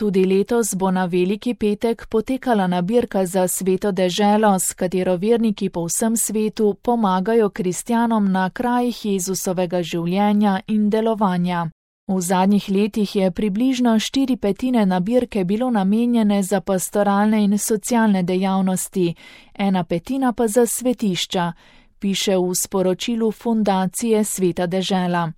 Tudi letos bo na Veliki petek potekala nabirka za Sveto deželo, s katero verniki po vsem svetu pomagajo kristjanom na krajih Jezusovega življenja in delovanja. V zadnjih letih je približno 4/5 nabirke bilo namenjene za pastoralne in socialne dejavnosti, 1/5 pa za svetišča, piše v sporočilu Fundacije Sveta dežela.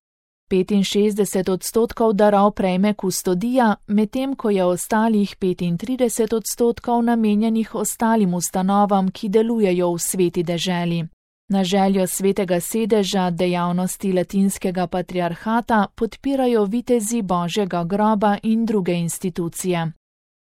65% darov prejme kustodija, medtem ko je ostalih 35% namenjenih ostalim ustanovam, ki delujejo v Sveti deželi. Na željo Svetega sedeža dejavnosti Latinskega patriarhata podpirajo vitezi Božjega groba in druge institucije.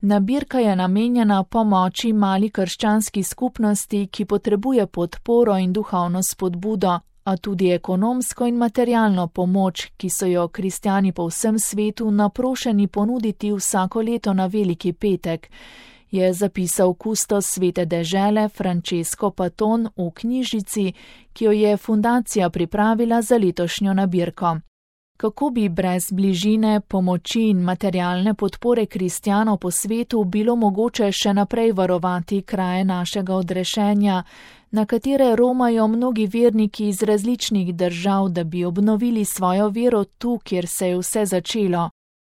Nabirka je namenjena pomoči mali krščanski skupnosti, ki potrebuje podporo in duhovno spodbudo, a tudi ekonomsko in materialno pomoč, ki so jo kristjani po vsem svetu naprošeni ponuditi vsako leto na Veliki petek, je zapisal kustos Svete dežele Francesco Paton v knjižici, ki jo je fundacija pripravila za letošnjo nabirko. Kako bi brez bližine, pomoči in materialne podpore kristjanov po svetu bilo mogoče še naprej varovati kraje našega odrešenja, na katere romajo mnogi verniki iz različnih držav, da bi obnovili svojo vero tu, kjer se je vse začelo?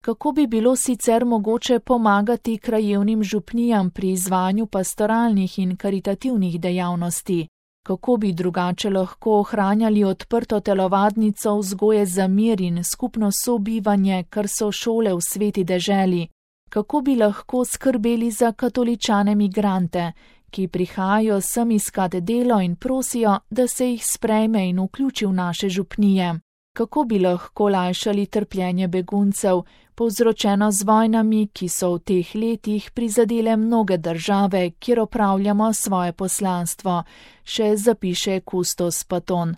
Kako bi bilo sicer mogoče pomagati krajevnim župnijam pri izvajanju pastoralnih in karitativnih dejavnosti? Kako bi drugače lahko ohranjali odprto telovadnico vzgoje za mir in skupno sobivanje, kar so šole v Sveti deželi? Kako bi lahko skrbeli za katoličane migrante, ki prihajajo sem iskat delo in prosijo, da se jih sprejme in vključi v naše župnije? Kako bi lahko lajšali trpljenje beguncev, povzročeno z vojnami, ki so v teh letih prizadele mnoge države, kjer opravljamo svoje poslanstvo, še zapiše kustos Paton.